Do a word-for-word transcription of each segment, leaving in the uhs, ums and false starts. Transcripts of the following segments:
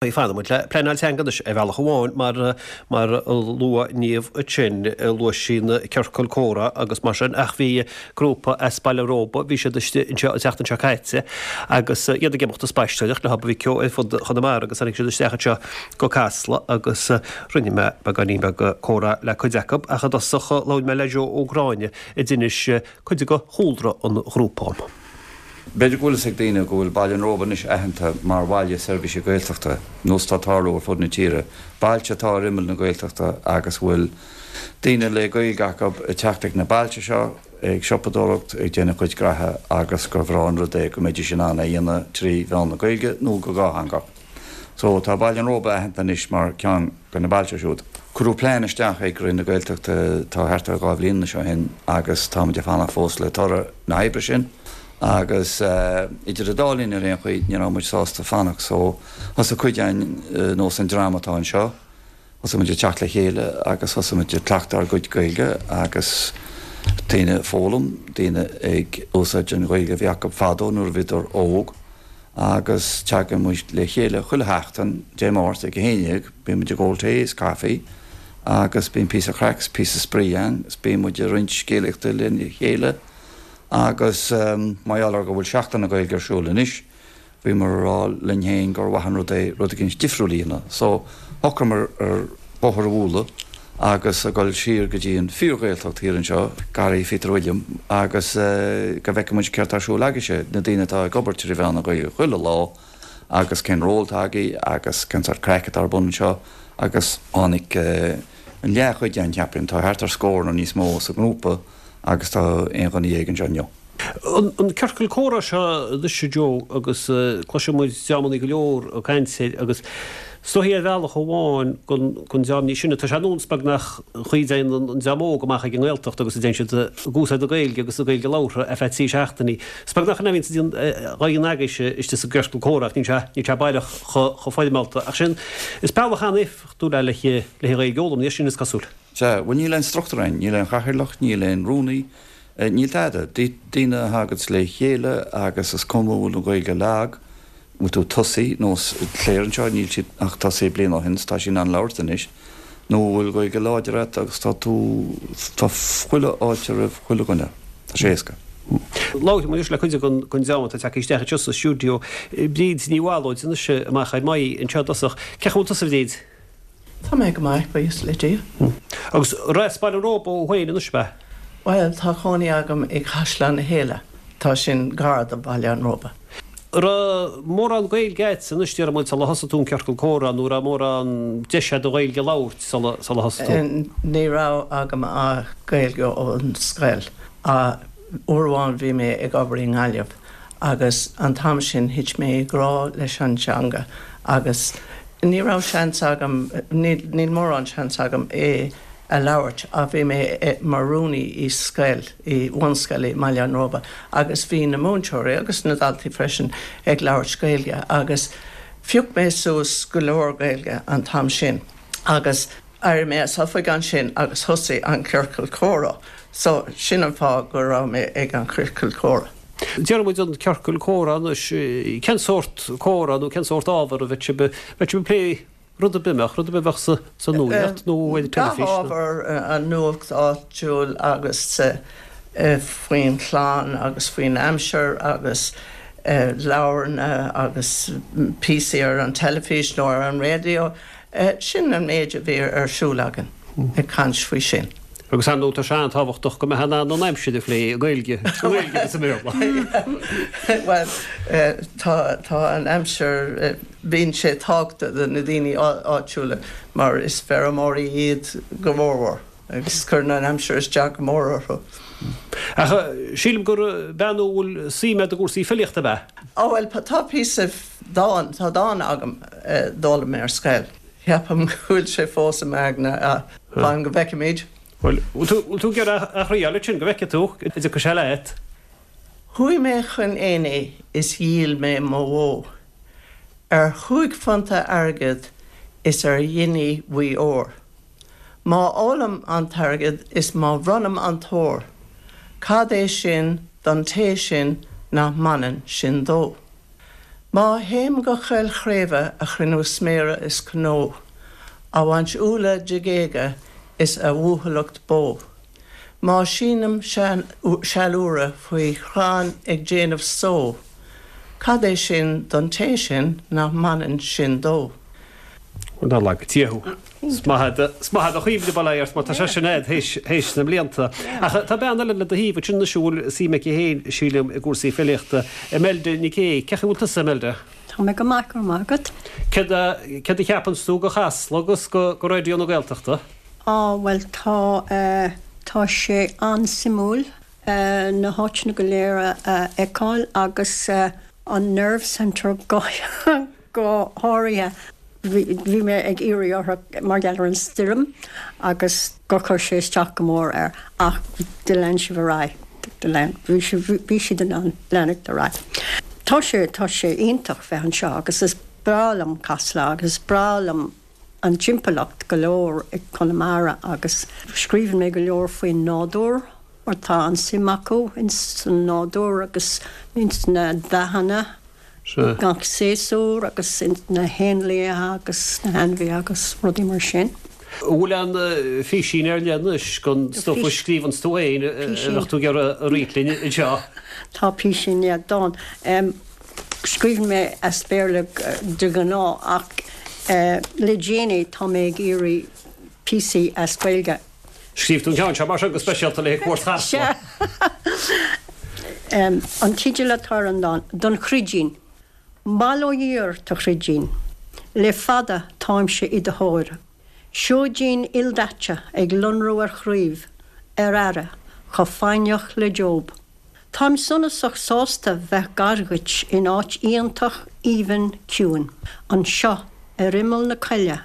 Fanfaidh muid le pleanáil teanga anois ar bhealach amháin mar mar a luaigh Niamh ansin, luaigh sí na ciorcail comhrá agus mar sin ach bhí grúpa as Baile Róba, bhí siad istigh anseo an tseachtain seo caite agus iad ag imeacht ag spaisteoireacht le mhic Eo ar fud Chonamara agus tháinig siad isteach anseo go Casla agus rinne mé beagáinín beag comhrá le cuid acu ach i dtosach labhair mé le Joe Ó Gráinne a d'inis cuid de chúlra an ghrúpa dom. B'fhéidir go bhfuil fhios ag daoine go bhfuil Baile an Róba anois aitheanta mar bhaile seirbhíse Gaeltachta, nós atá ag tarlú ar fud na tíre, bailte atá ar imeall na Gaeltachta agus a bhfuil daoine le Gaeilge acu ag teacht ag na bailte seo, ag siopadóireacht, ag déanamh a gcuid graithe agus gur bhreá an rud é go mbeidís in ann é a dhéanamh trí mheán na Gaeilge nó go dhátheangach. So, tá Baile an Róba aitheanta anois mar ceann de na bailte siúd. Cuireadh plean isteach ag Roinn na Gaeltachta tá thart ar dhá bhliain anois ó shin agus táimid ag fanacht fós le toradh na hoibre sin. Agus idir an dá linn ar aon chaoi, ní raibh muid sásta fanacht so thosaigh cuid againn, nós an dream atá anseo, thosaigh muid ag teacht le chéile agus thosaigh muid ag cleachtadh ár gcuid Gaeilge agus daoine ag foghlaim, daoine ag úsáid an Ghaeilge a bhí acu fadó nuair a bhíodar óg agus teagann muid le chéile chuile sheachtain, Dé Máirt ag a haon déag, bíonn muid ag ól tae is caife agus bíonn píosa craic is píosa spraoi ann is bíonn muid ag roinnt scéalaíochta lena chéile. Agus mar gheall ar go bhfuil Seachtain na Gaeilge ar siúl anois, bhíomar ag rá linn féin gur mhaith an rud é rud eicínt difriúil a dhéanamh. So, shocraíomar ar bóthar a bhualadh agus a dhul siar go dtí an fíor-Ghaeltacht thiar anseo, Garraí Phíotair Uilliam, agus go bhfeicfeadh muid céard tá ar siúl agaibhse, na daoine atá ag obair trí mheán na Gaeilge chuile lá, agus cén ról atá agaibh agus cén sórt craic atá ar bun anseo. Agus tháinig an leathchuid againn, cheapfainn, tá thart ar scór nó níos mó sa ngrúpa, Agus tá aon dhuine dhéag anseo inniu. An ciorcal comhrá seo anois, a Joe, agus cloiseann muid dreamanna go leor ag caint air agus is dóichí ar bhealach amháin don dream níos sine, tá sé ar nós beagnach an chaoi a dtéann an dream óg amach ag an nGaeltacht agus a dtéann siad ag úsáid na Gaeilge agus na Gaeilge labhartha ar feadh trí seachtainí. Is beagnach an bhíonn dhaoine agaibhse istigh sa gciorcal comhrá ach níl sé níl sé baileach chomh foirmeálta. Ach sin, is bealach an-éifeachtúil é le le Gaeilge a fhoghlaim, sin is cosúil. Sea, bhuel níl aon struchtúr ann, níl aon chathaoirleach, níl aon rúnaí, níl tada. Daoine a thaganns le chéile agus is cuma an bhfuil an Ghaeilge lag, bhfuil tú ag tosaí, nós Claire anseo, níl sí ach tosaithe bliain ó shin is tá sí in ann labhairt anois, nó an bhfuil Gaeilge láidir agat agus tá tú, tá chuile fháilte roimh chuile dhuine. Tá sé éasca. Labharfaidh muid anois le cuid den dream atá tagtha isteach anseo sa stiúideo. Bríd Ní Bhallóid anois amach ar m'aghaidh anseo i dtosach. Cén chaoi a bhfuil tusa, a Bhríd? Tá mé go maith, buíochas le Dia. Agus as Baile an Róba thú féin anois, ab ea? Bhuel, tá cónaí agam i gCaisleán na hÉille, tá sin gar do Bhaile an Róba. An raibh mórán Gaeilge agat anois, déarfaidh muid, sula thosaigh tú an ciorcal comhrá, nó an raibh mórán deis agat an Ghaeilge a labhairt sula thosaigh tú? Ní raibh agam ach Gaeilge ón scoil. Uair amháin bhí mé ag obair i nGaillimh agus an t-am sin thit mé i ngrá leis an teanga agus ní raibh seans agam, níl mórán seans agam é a labhairt ach bhí mé mar rúnaí i scoil, i bhunscoil i mBaile an Róba agus bhí na múinteoirí agus na daltaí freisin ag labhairt Gaeilge agus phioc mé suas go leor Gaeilge an t-am sin agus d'éirigh mé as oifig ansin agus thosaigh an ciorcal comhrá so sin an fáth go raibh mé ag an chiorcal comhrá. Déarfaidh muid an ciorcal comhrá anois, cén sórt comhrá nó cén sórt ábhar a bheadh sibh, bheadh sibh ag plé rud ar bith, mbeadh, rud ar bith a bheadh sa, sa nuacht nó ar an Gach teilifís nó. ábhar, an nuacht áitiúil agus faoin chlann agus faoin aimsir agus leabharanna agus píosaí ar an teilifís nó ar an raidió. Sin an méid a bhí ar siúl againn, ag caint faoi sin. Agus ar ndóigh tá sé an-tábhachtach go mbeifeá in ann an aimsir a phlé i nGaeilge, i nGaeilge agus i mBéarla. Bhuel, tá, tá an aimsir, bíonn sé tábhachtach do na daoine áitiúla mar is feirmeoirí iad go mórmhór agus cuireann an aimsir isteach go mór orthu. Ach sílim gur bean a bhfuil suim agat i gcúrsaí filíochta, ab ea? Ó bhuel, tá píosa dán, tá dán agam a d'fhoghlaim mé ar scoil. Ceapaim go bhfuil sé fós i m'aigne ach fan go bhfeicfimid. Bhuel, bhfuil tú ag iarraidh a thriáil ansin go bhfeicfidh tú an dtiocfaidh sé leat? Chuaigh mé chun aonaigh is dhíol mé mo bhó ar chúig phunta airgid is ar ghiní bhuí óir. Má ólaim an t-airgead is má bhronnaim an t-ór, cad é sin don té sin nach mbaineann sin dó? Má théim go Coill Chraoibhe a chruinniú sméara is cnó, a bhaint úlla de ghéaga is a bhuachailleacht bó. Má sínim seal úire faoi chrann ag déanamh só, cad é sin don té sin nach mbaineann sin dó. Nár laga Dia thú. Is maith do chuimhne bail ó Dhia ort mar tá sé sin agat théis na mblianta. Ach tá bean eile le do thaobh ansin anois a bhfuil suim aici féin, sílim, i gcúrsaí filíochta, Imelda Nic Aoidh. Cén chaoi a bhfuil tusa, Imelda? Tá mé go maith, go raibh maith agat. Céard a cheapanns tú go Chasla agus go Raidió na Gaeltachta? Á, bhuel, tá, tá sé an-suimiúil na háiteanna go léir a fheiceáil agus an Nerve Centre go go háirithe. Bhí mé ag iarraidh orthu mar gheall ar an stoirm agus gur chuir sé isteach go mór air ach do lean sibh ar aghaidh, do lean, bhí bhí siad in ann leanacht ar aghaidh. Tá sé, tá sé iontach bheith anseo agus is breá liom Casla agus is breá liom an timpeallacht go leor i Conamara agus scríobhann mé go leor faoin nádúr mar tá an suim acu ins an nádúr agus ins na dathanna. Gach séasúr agus na héanlaithe agus na hainmhithe agus rudaí mar sin. An bhfuil aon phísín ar leith anois den stuif a scríobhanns tú féin a bheadh tú ag iarraidh a roinnt linn anseo? Tá písín, yeah, dán. Scríobhann mé as Béarla de ghnáth ach le déanaí tá mé ag iarraidh píosaí as Gaeilge. Scríobh tú an ceann seo mar sin go speisialta le haghaidh cuairt Chasla. An teideal atá ar an dán, Don Chruidín. Bail ó Dhia ort, a Chruidín. Le fada táimse i do thóir. Seoidín ildaite ag lonrú ar chraoibh, ar aire, chomh foighneach le Job. Táim sonasach sásta bheith gar dhuit in áit iontach aoibhinn ciúin, anseo ar imeall na coille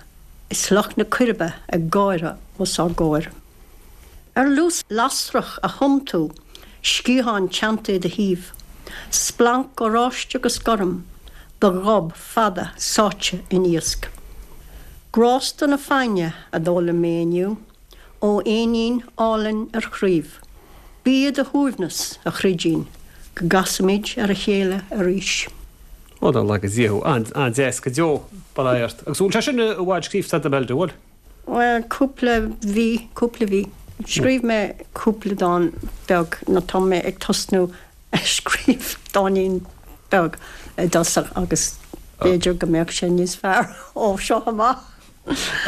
is Loch na Coiribe ag gáire os ár gcomhair. Ar luas lasrach a thum tú, sciatháin teannta i do thaobh, splanc oráiste agus gorm, do ghob fada sáite in iasc. Grásta na foighne a d'fhoghlaim mé inniu, ó éinín álainn ar chraobh. Bí i do shuaimhneas, a chruidín, go gcasfaimid ar a chéile arís. Ó, nár laga Dia thú. An-deas go deo, bail ó Dhia ort. Agus bhfuil sé sin i bhfad scríofa agat, Imelda, bhfuil? Bhuel, cúpla mhí, cúpla mhí. Scríobh mé cúpla dán beag nó tá mé ag tosnú ag scríobh dáinín beag i dtosach agus b'fhéidir go mbeadh sé níos fearr ó seo amach.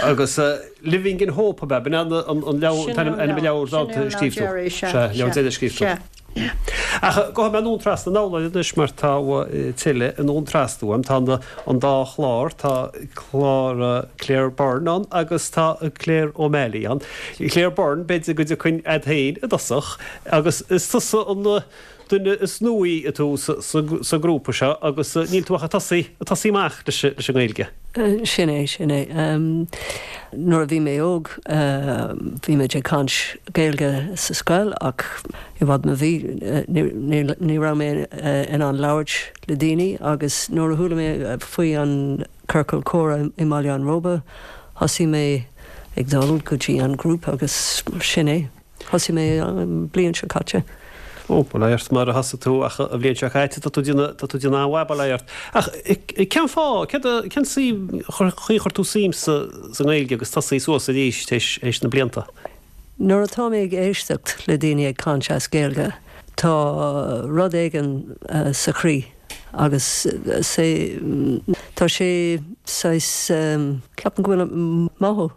Agus Living in Hope ab ea? B'in an leabhar, an t-ainm an leabhar dánta a scríobh tú? Sin é an leabhar deiridh a scríobh tú. Ach gabhfaidh mé anonn trasna anall anois mar tá tuilleadh anonn trasna uaim. Tá an dá chlár, tá clár Claire Byrne ann agus tá Claire O'Malley ann. Claire Byrne, b'fhéidir go dtiocfainn a'd féin i dtosach agus is tusa an duine is nuaí atá sa ngrúpa seo agus níl tú ach ag tosaí, ag tosaí amach leis an nGaeilge. Sin é, sin é. Nuair a bhí mé óg bhí muid ag caint Gaeilge sa scoil ach i bhfad má bhí ní raibh mé in ann labhairt le daoine agus nuair a chuala mé faoi an Ciorcal Comhrá i mBaile an Róba thosaigh mé ag dul go dtí an grúpa agus sin é. Thosaigh mé an bliain seo caite. Ó, bail ó Dhia ort mar a thosaigh tú ach an bhliain seo caite, tá tú déanamh, tá tú déanamh an-mhaith, bail ó Dhia ort. Ach cén fáth, céard a, cén suim, chaoi a chuir tú suim sa, sa nGaeilge agus tosaí suas arís théis, théis na blianta? Nuair atá mé ag éisteacht le daoine ag caint as Gaeilge, tá rud éigin sa chroí agus sé, tá sé saghas, ceapaim go bhfuil mothú.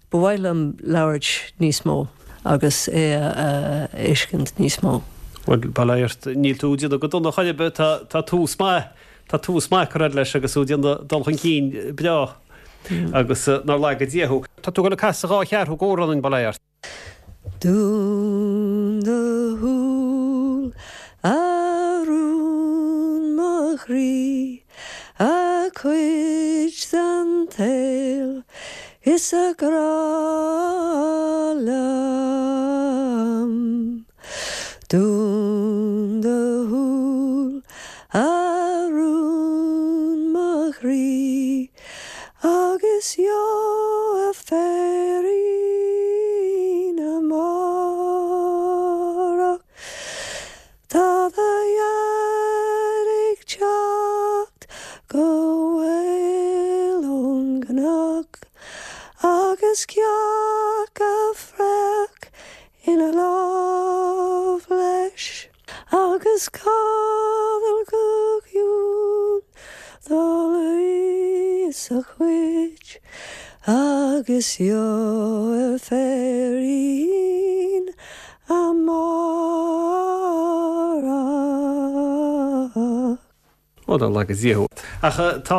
Ba mhaith liom labhairt níos mó agus é a fheiscint níos mó. Bhuel, bail ó Dhia ort, níl tú ag déanamh go dona chor ar bith, tá, tá tús maith, tá tús maith curtha agat leis agus tú ag déanamh dul chun cinn breá agus nár laga Dia thú. Tá tú ag dul ag casadh dhá cheathrú d'amhrán dúinn, bail ó Dhia ort. Dún do shúil, a rún mo chroí, a cuid den tsaol is a grá liom. Dún do shúil, a rún mo chroí, agus gheobhaidh féirín amárach. Tá do dhaid ag teacht gcnoc agus cearc á fraoch ina lámh leis agus codladh go ciúin dá luí sa chuid agus gheobhaidh féirín amárach. Ó dá laga Dia thú. Ach tá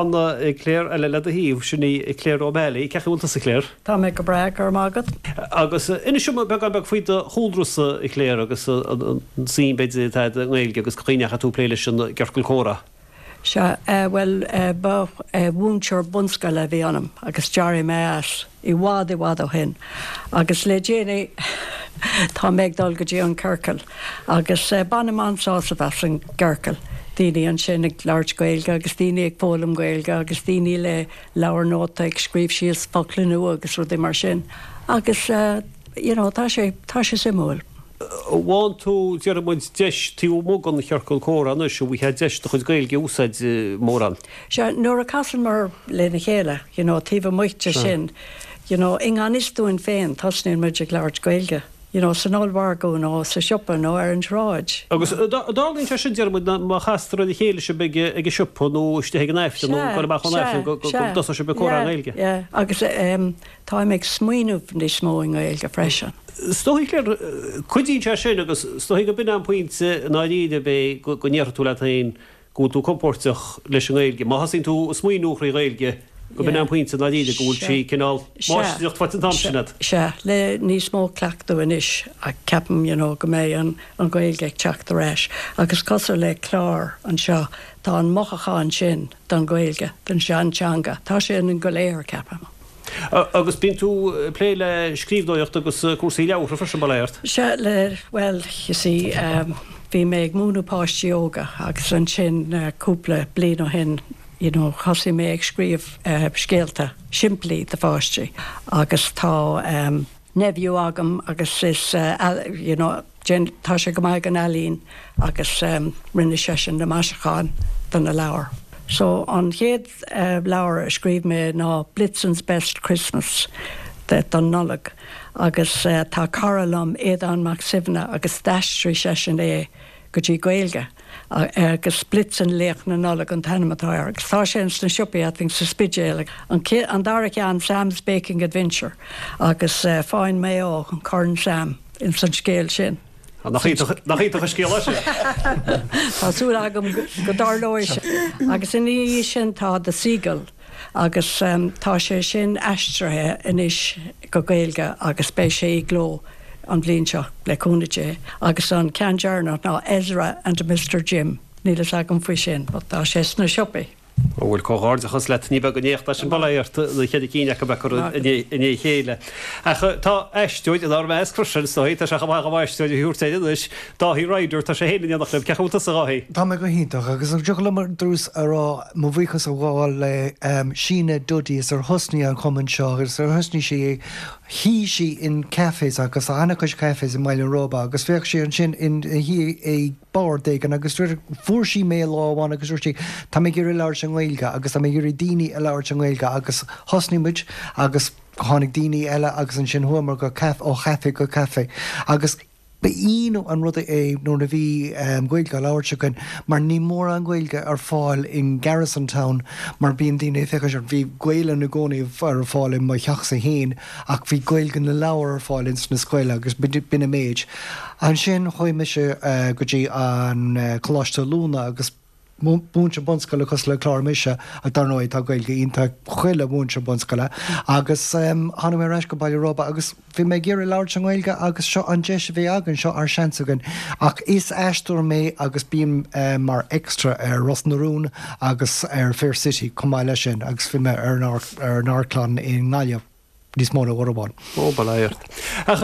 Claire eile le do thaobh, sin í Claire O'Malley. Cén chaoi a bhfuil tusa, Claire? Tá mé go breá, go raibh maith agat. Agus inis dom beagán beag faoi do chúlrasa, a Claire, agus an suim b'fhéidir atá agat i nGaeilge agus cén chaoi a ndeachaigh tú ag plé leis an gciorcal comhrá. Sea, bhuel, ba mhúinteoir bunscoile a bhí ionam agus d'éirigh mé as i bhfad i bhfad ó shin. Agus le déanaí tá mé ag dul go dtí an ciorcal agus bainim an-sásamh as an gciorcal. Daoine ansin ag labhairt Gaeilge agus daoine ag foghlaim Gaeilge agus daoine le leabhar nóta ag scríobh síos focla nua agus rudaí mar sin. Agus you know, tá sé tá sé suimiúil. Bhain tú, déarfaidh muid, deis taobh amuigh den chiorcal comhrá anois, an bhfaighfeá deis do chuid Gaeilge a úsáid mórán? Sea, nuair a casann muid lena chéile, you know, taobh amuigh de sin, you know, i ngan fhios dúinn féin, tosnaíonn muid ag labhairt Gaeilge, you know, san ollmhargadh nó sa siopa nó ar an tsráid. Agus tarlaíonn sé sin, déarfaidh muid, má chastar ar a chéile sibh ag ag an siopa nó istigh ag an Aifreann nó ag dul amach ón Aifreann go dtosóidh sibh ag comhrá i nGaeilge. Yeah, agus táim ag smaoineamh níos mó i nGaeilge freisin. Is dóigh, Claire, cuidíonn sé sin agus is dóigh go b'in an pointe i ndáiríre ab é go ndéarfaidh tú leat féin go bhfuil tú compóirteach leis an nGaeilge. Má thosaíonn tú ag smaoineamh trí Ghaeilge, go b'in an pointe i ndáiríre go bhfuil sí cineál máistreacht faighte an t-am sin agat. Sea, le níos mó cleachtadh anois ceapaim you know, go mbeidh an, an Ghaeilge ag teacht ar ais. Agus cosúil le clár anseo, tá an mothúchán sin don Ghaeilge, don seanteanga. Tá sé ionainn go léir, ceapaim. Agus bíonn tú ag plé le scríbhneoireacht agus cúrsaí leabhartha freisin, bail ó Dhia ort? Sea, le, bhuel, you see, um, bhí mé ag múineadh páistí óga agus ansin uh, cúpla bliain ó shin, you know, thosaigh mé ag scríobh uh, scéalta simplí do pháistí agus tá um, nephew agam agus is uh, you know, tá sé go maith ag an ealaín agus um, rinne seisean na maisiúcháin do na leabhair. So an chéad uh, leabhar a scríobh mé ná Blitzen's Best Christmas de don Nollaig agus uh, tá cara liom Aodán Mac Suibhne agus d'aistrigh seisean é go dtí Gaeilge agus Blitzen Laoch na Nollag an t-ainm atá air. agus tá sé sna siopaí I think sa Spidéal an, an dara ceann Sam's Baking Adventure agus uh, fáin mé ó an Corn Sam in san scéal sin. Nach iontach an scéal sin. Tá súil agam go dtarlóidh sé. Agus ina dhiaidh sin tá The Seagull agus um, tá sé sin aistrithe anois go Gaeilge agus beidh sé i gcló an bhliain seo le cúnamh Dé agus an ceann deireanach ná Ezra and Mr Jim. Níl a fhios agam faoi sin, but tá sé sna siopaí. Ó bhuel comhghairdeachas leat ní beag an éacht sin bail ó Dhia ort na ceithre cinn acu bheith curtha i ndiaidh a chéile. Ach tá aisteoir inár measc freisin is dóigh, tá sé chomh maith chomh aisteoir a thabhairt air anois, Dáithí Ryder, tá sé féin in éineacht libh, cén chaoi a bhfuil tusa a Dháithí? Tá mé go hiontach agus an dtiocfadh liom ar dtús a rá mo bhuíochas a ghabháil le Síne Duddy is ar thosnaigh an cumann seo agus ar thosnaigh sí é shuigh sí in cafés agus an-chuid cafés i mBaile an Róba agus bheadh sí ansin in shuí ag bord éigin agus fuair sí mé lá amháin agus dúirt sí tá mé ag iarraidh labhairt i nGaeilge agus tá mé ag iarraidh daoine a labhairt i nGaeilge agus thosnaigh muid agus tháinig daoine eile agus ansin chuamar go caf ó chaife go caife agus ba iontach an rud é nuair a bhí um, Gaeilge á labhairt againn mar ní mórán Gaeilge ar fáil in Garrison Town mar bíonn daoine féach bhí Gaeilge i gcónaí ar fáil i mo theachsa féin ach bhí Gaeilge na leabhar ar fáil in sna scoil agus b'in an méid. Ansin chuaigh mise uh, go dtí an uh, Coláiste Oiliúna agus múinteoir bunscoile cosúil le Clár mise a dar ndóigh tá Gaeilge iontach chuile mhúinteoir bunscoile agus um, tháinig mé ar ais go Baile Róba agus bhí mé ag iarraidh labhairt an Ghaeilge agus seo an deis a bhí againn seo ár seans againn ach is aisteoir mé agus bím uh, mar extra ar Ros na Rún agus ar Fair City chomh maith leis sin agus bhí mé ar ar an amharclann i nGaillimh níos mó ná uair amháin. Ó bail ó Dhia ort. Ach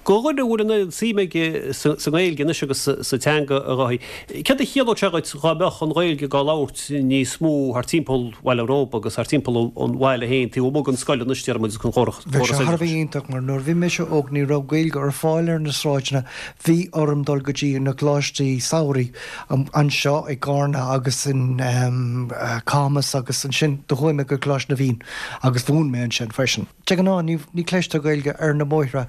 Do dhuine a bhfuil an oiread suim aige sa nGaeilge anois agus sa teanga, a Dháithí, céard a chiallódh sé dhuit dhá mbeadh an Ghaeilge dhá labhairt níos mó thart timpeall Bhaile an Róba agus thart timpeall an bhaile féin, taobh amuigh den scoil anois, déarfaidh muid, agus an chóras Bheadh sé thar a oideachais? bheith iontach mar nuair a bhí mise óg ní raibh Gaeilge ar fáil ar na sráideanna, bhí orm dul go dtí na coláistí samhraidh anseo i gCarna agus in Camas agus ansin do chuaigh mé go Coláiste na bhFiann agus mhúin mé ansin freisin. De ghnáth ní ní chloistear Gaeilge ar na bóithre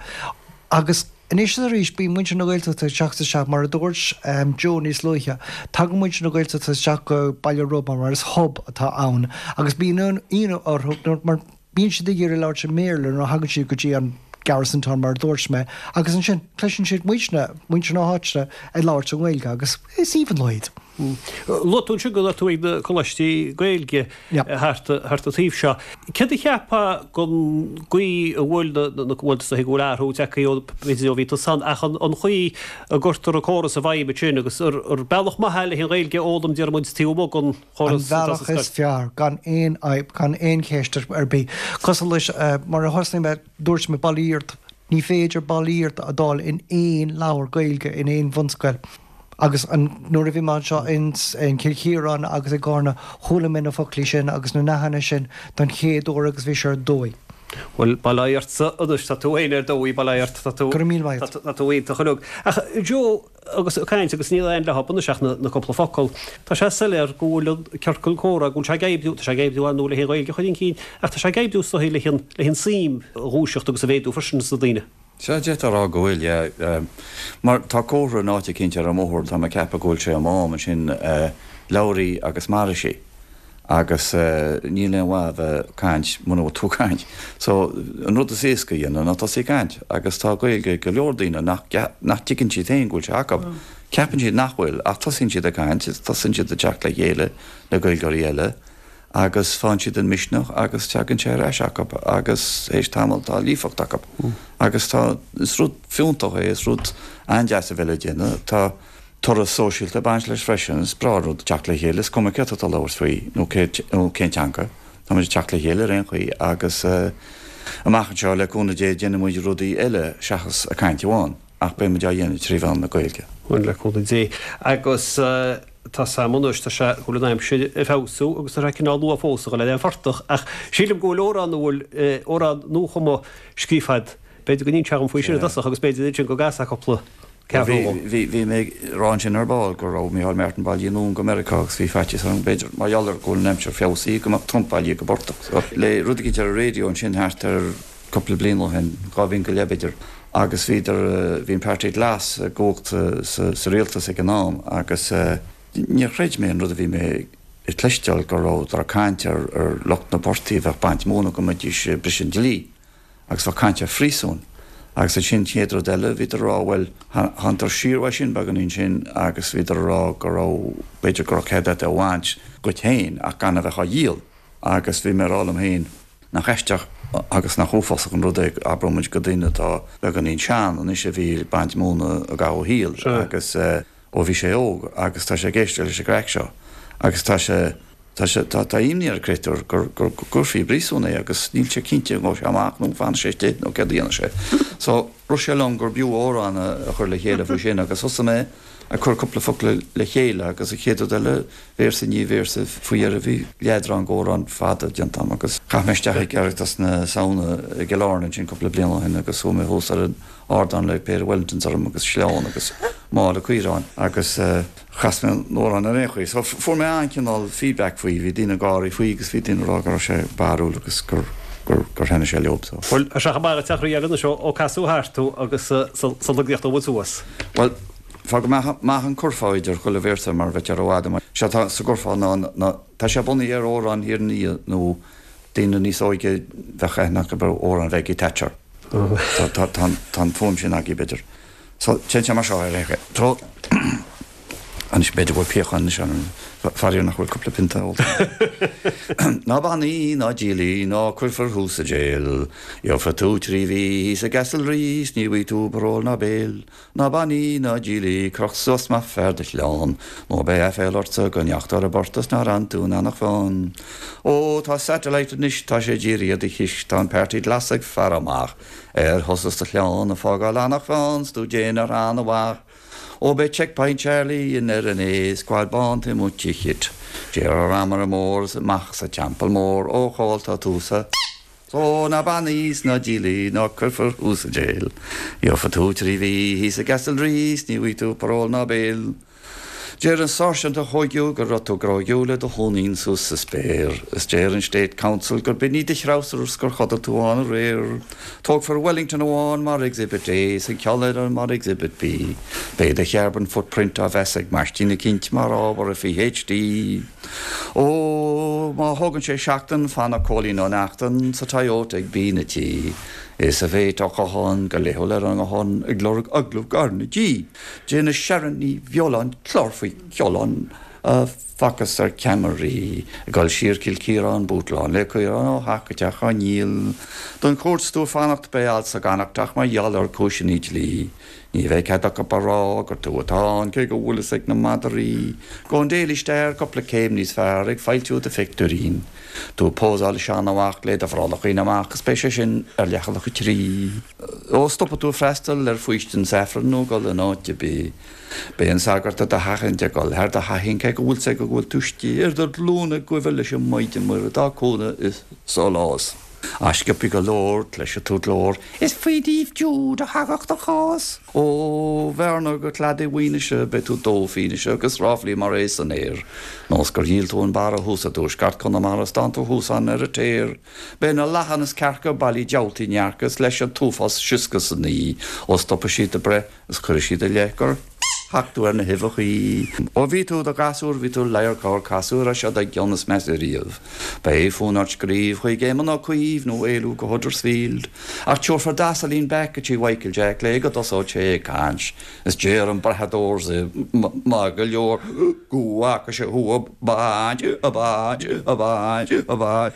agus anois is arís bíonn muintir na Gaeltachta ag teacht isteach mar a dúirt Joe níos luaithe, tagann muintir na Gaeltachta isteach go Baile Róba mar is hub atá ann agus bíonn ionadh orthu mar bíonn siad ag iarraidh labhairt i mBéarla nuair a thagann siad go dtí an Garrison Town mar a dúirt mé agus ansin cloiseann siad muidne, muintir na háite ag labhairt i nGaeilge agus is aoibhinn leo iad. Luaigh tú ansin go raibh tú ag na coláistí Gaeilge thart thart an taobh seo. Céard a cheapfá den gcaoi a bhfuil na na bhuel is dóigh go bhfuil athrú tagtha ó b'fhéidir ó bhí tusa ann ach an an chaoi a gcuirtear an córas i bhfeidhm ansin agus ar ar bealach maith é le an Ghaeilge a fhoghlaim déarfaidh muid taobh amuigh den An chóras atá sa bealach is scoil? fearr gan aon fhadhb, gan aon cheist ar bith. Cosúil leis mar a thosnaigh mé, dúirt mé Bail ó Dhia ort, ní féidir Bail ó Dhia ort a fháil in aon leabhar Gaeilge in aon bhunscoil. Agus an nuair a bhí mé anseo in in Cill Chiaráin agus i gCarna, chuala mé na foclaí sin agus na nathanna sin don chéad uair agus bhí sé ar dóigh. Bhuel, bail ó Dhia ortsa anois, tá tú féin ar dóigh, bail ó Dhia ort, tá tú, Go raibh míle maith agat. tá tú iontach uilig. Ach Joe, agus ag caint agus níl aon leath anois ach na, na cúpla focal, tá sé soiléir go bhfuil an ciorcal comhrá, go bhfuil sé ag oibriú, tá sé ag oibriú ar ndóigh le an Ghaeilge a chur chun cinn, ach tá sé ag oibriú is dóigh le an, le an suim a dhúiseacht agus a mhéadú freisin sna daoine. Sea, d'fhéadfá a rá go bhfuil, yeah. Mar tá comhartha in áit eicínt ar an mbóthar, tá mé ag ceapadh go bhfuil sé i Mám ansin, labhair í agus mairfidh sí. Agus níl aon mhaith a bheith ag caint muna bhfuil tú ag caint. So, an rud is éasca a dhéanamh ná tosaí ag caint. Agus tá Gaeilge ag go leor daoine nach nach dtuigeann siad féin go bhfuil sé acu. Ceapann siad nach bhfuil, ach tosaíonn siad ag caint, tosaíonn siad ag teacht le chéile le Gaeilgeoirí eile agus faigheann siad an misneach agus tagann sé ar ais acu agus théis tamaill tá líofacht acu. Agus tá, is rud fiúntach é, is rud an-deas a bheith le déanamh. Tá toradh sóisialta ag baint leis freisin, is breá an rud teacht le chéile, is cuma céard atá ag labhairt faoi nó nó cén teanga, tá muid ag teacht le chéile ar aon chaoi agus amach anseo le cúnamh Dé déanfaidh muid rudaí eile seachas ag caint amháin ach beidh muid á dhéanamh trí mheán na Gaeilge. Bhuel, le cúnamh Dé. Agus tá sam anois, tá sé go bhfuil an aimsir ag feabhsú agus tá sé cineál luath fós a dhul ar an phortach ach sílim go bhfuil amhrán a bhfuil amhrán nuachumtha scríofa agat. B'fhéidir go n-inseofá dom faoi sin i dtosach agus b'fhéidir ansin go gcasfá cúpla ceathrú dhom. Bhí, bhí mé ag rá ansin ar ball go raibh Micheál Martin bailithe anonn go Meiriceá agus bhí faitíos orm b'fhéidir mar gheall ar go bhfuil an aimsir feabhsaithe go mbeadh Trump bailithe go portach. So le rud eicínt ar an raidió ansin thart ar cúpla bliain ó shin, dhá bhliain go leith b'fhéidir, agus bhíodar, bhí an Páirtí Glas i gcumhacht sa, sa rialtas ag an am agus níor chreid mé an rud a bhí mé ag cloisteáil go rabhadar ag caint ar, ar lucht na bportaigh a bheith ag baint móna go mbeidís ag briseadh an dlí agus bheadh caint ar phríosún. Agus ansin chéad rud eile bhíodar ag rá bhuel thánadar siar uaidh sin beagáinín sin agus bhíodar ag rá go raibh, b'fhéidir go raibh cead agat é a bhaint dhuit féin ach gan a bheith á dhíol. Agus bhí mé ag rá liom féin nach aisteach agus nach uafásach an rud é abraíonn muid go duine atá beagáinín sean anois a bhí ag baint móna i gcaitheamh a shaoil agus ó bhí sé óg agus tá sé ag éisteacht leis an gcraic seo agus tá sé tá sé tá tá imní ar an gcréatúr gur gur go gcuirfí i bpríosún é agus níl sé cinnte an ngabhfaidh sé amach nó an bhfanfaidh sé istigh nó céard a dhéanfaidh sé. So rith sé liom gur b'fhiú amhrán a chur le chéile faoi sin agus thosaigh mé ag cur cúpla focal le chéile agus an chéad rud eile, véarsa i ndiaidh véarsa, faoi dheireadh bhí leadrán d'amhrán fada déanta agam agus chaith mé isteach ag Oireachtas na Samhna i gCill Airne ansin cúpla bliain ó shin agus chuaigh mé thuas ar an ardán le péire Wellingtons orm agus sleán agus mála caoráin agus chas mé an t-amhrán ar aon chaoi. So fuair mé an-chineál feedback faoi, bhí daoine ag gáirí faoi agus bhí daoine ag rá go raibh sé barrúil agus gur gur gur thaitnigh sé leo. So. Bhuel, tá sé chomh maith le teach rí eile anois ó casadh thart tú agus sa logaíocht ó bhfuil suas. Bhuel, fág go mbeadh an curfá idir chuile véarsa mar bheadh ar i bhfad. Sé atá sa gcurfá ná ná tá sé bunaithe ar amhrán Thír an Fhia nó daoine níos óige bheadh aithne acu ar amhrán Mhaggie Thatcher. Tá tá tá tá an fuaim sin agaibh b'fhéidir. So téann sé mar seo ar aon chaoi. So Anois b'fhéidir go bhfuil piachán anois orm, faraor nach bhfuil cúpla pionta ólta. Ná bain í, ná díol í, ná cuirfear thú sa jail. Gheobhaidh tú trí mhí thíos i gCastlereagh 's ní bhfaighidh tú parole ná bail. Ná bain í, ná díol í, croch suas maith fear do chlann, nó beidh aiféal ortsa go ndeachaigh tú ar an bport is nár fhan tú in Eanach Mheáin. Ó, tá satellite anois, tá sé dírithe ar do chis, tá an Páirtí Glas ag faire amach ar thusa is do chlann ag fágáil Eanach Mheáin 's tú ag déanamh ar an-mhaith. Ó beidh Checkpoint Charlie in ar an A, squad bán taobh amuigh de chit. Deir an Ramaire Mór is amach sa Teampall Mór, ó Chóil tá tú sa. Ó ná bain í 's ná díol í ná cuirfear thú sa jail. Gheobhaidh tú trí mhí thíos i gCastlereagh 's ní bhfaighidh tú parole ná bail. Deir an sáirsint a thóigeadh go raibh tú gróigeadh le do thóinín suas sa spéir, is deir an State Counsel gur b'in iad do threabhsar 's gur chodail tú ann aréir. Tógfar Wellington amháin mar Exhibit A 's an ceann eile mar Exhibit B. Beidh do charbon footprint á mheas ag maistín eicínt mar ábhar ar PhD. Ó, má thógann sé seachtain, fanfaidh Cóilín Ó Neachtain sa Toyota ag bean a' tí. Is a bheidh á chothán go laethúil ar an nguthán ag lorg agallamh gar na G. Déanfaidh Sharon Ní Bheoláin clár faoi cheolán a facthas ar ceamaraí ag dul siar Cill Chiaráin bútláin le caoráin ó theach go teach á ndíol. Don chúirt 's tú ag fanacht beidh alt sa gConnachtach mar gheall ar cúiseanna dlí. Ní bheidh cead acu a rá gur tú atá ann cé go bhfuil fhios ag na madraí. Go an Daily Star cúpla céim níos fearr ag foilsiú do phictiúirín. Tú ag pósáil le seanmhac le do bhrollachín amach is beidh sé sin ar leathanach a trí. Ó stopfaidh tú freastal ar faoistin 's aifreann nó dul in áit ar bith. Beidh an sagart i do sheachaint ag dul thar do sheachaint cé go bhfuil 's go bhfuil tú istigh ar do ghlúine ag guibhe leis an Maighdean Muire dá cúnamh is sólás. Ach sciobtha go leor, cloisfidh tú glór, Is faoi Naomh Jude a thagadh do chás. Ó Bhearna go cladaigh Mhaoinise beidh tú dó fianaise agus ráflaí mar é san aer. Nós gur dhíol tú an barra thuas i dtuaisceart Chonamara 's tánn tú thuas ann ar an téar. Beidh na lachain is cearca bailí diabhaltaí ndearca is leis an t-uafás sioscadh san oí ó stopfaidh siad do breith is cuirfidh siad i leith gur thac tú ar na huibheachaí. Ó bhí tú i do ghasúr bhí tú ladhar casúr as seo do gcion is measa riamh. Beidh fonn ort scríobh chuig Éamon Ó Cuív nó éalú go Huddersfield. Ach tabharfar d'Asailín back go tí Mhichael Jack le go dtosóidh sé ag caint. Is deir an brathadóir maith go leor go bhfaca sé thú ag baint, ag baint, ag baint, ag baint.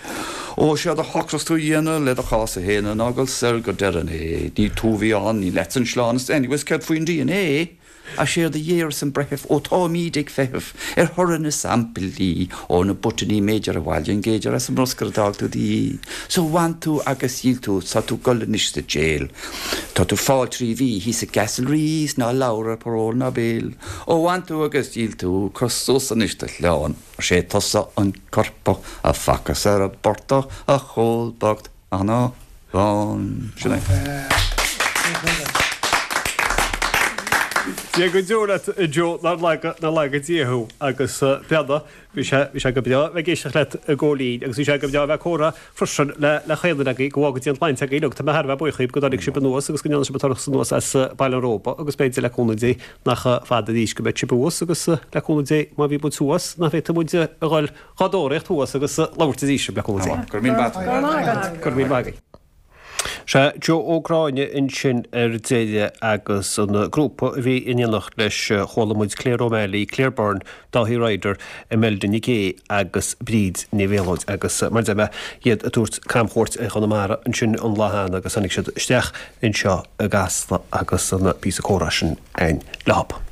Ó séard a shocras tú a dhéanamh le do chás a shéanadh ná dul soir go deireadh an A. Ní tú a bhí ann, ní leatsa an sleán is anyways céard faoin DNA? Ach séard a dhéarfas an breitheamh ó táimíd ag feitheamh ar thoradh na samplaí ó na botanaí mb'fhéidir a bhailigh an gauger as an mbruscar a d'fhág tú 'do dhiaidh. So bhain tú agus dhíol tú 's tá tú ag dul anois sa jail. Tá tú fáil trí mhí thíos i gCastlereagh 's ná labhair ar parole ná bail. Ó bhain tú agus dhíol tú, cuir suas anois do chlann, mar sé tusa an coirpeach a facthas ar an bportach a Chóil bocht Eanach Mheáin. Sin é. Dia go deo leat a Joe, nár laga, nár laga Dia thú agus beanna, bhí sé, bhí sé go breá bheith ag éisteacht leat a Chóilín agus bhí sé go breá bheith ag comhrá freisin le, le chaon duine agaibh, go bhfága Dia an tsláinte agaibh uilig, tá mé thar a bheith buíoch dhaoibh go dtáinig sibh anuas agus go ndearna sibh an turas anuas as Baile an Róba agus b'fhéidir le cúnamh Dé nach fada arís go mbeidh sibh thuas agus le cúnamh Dé má bhí muid thuas nach bhféadfaidh muid a dhul dhá dtóraíocht thuas agus labhairt arís le cúnamh Dé. Go raibh míle maith agat. Go raibh míle maith agaibh. Sea, Joe Ó Gráinne ansin ar deireadh agus an grúpa a bhí in éineacht leis, chuala muid Claire O'Malley, Claire Byrne, Dáithí Ryder, Imelda Nic Aoidh agus Bríd Ní Mhéalóid agus mar a deir mé, iad ag tabhairt camchuairt ar Chonamara ansin an lá cheana agus tháinig siad isteach anseo i gCasla agus an píosa comhrá sin againn leo.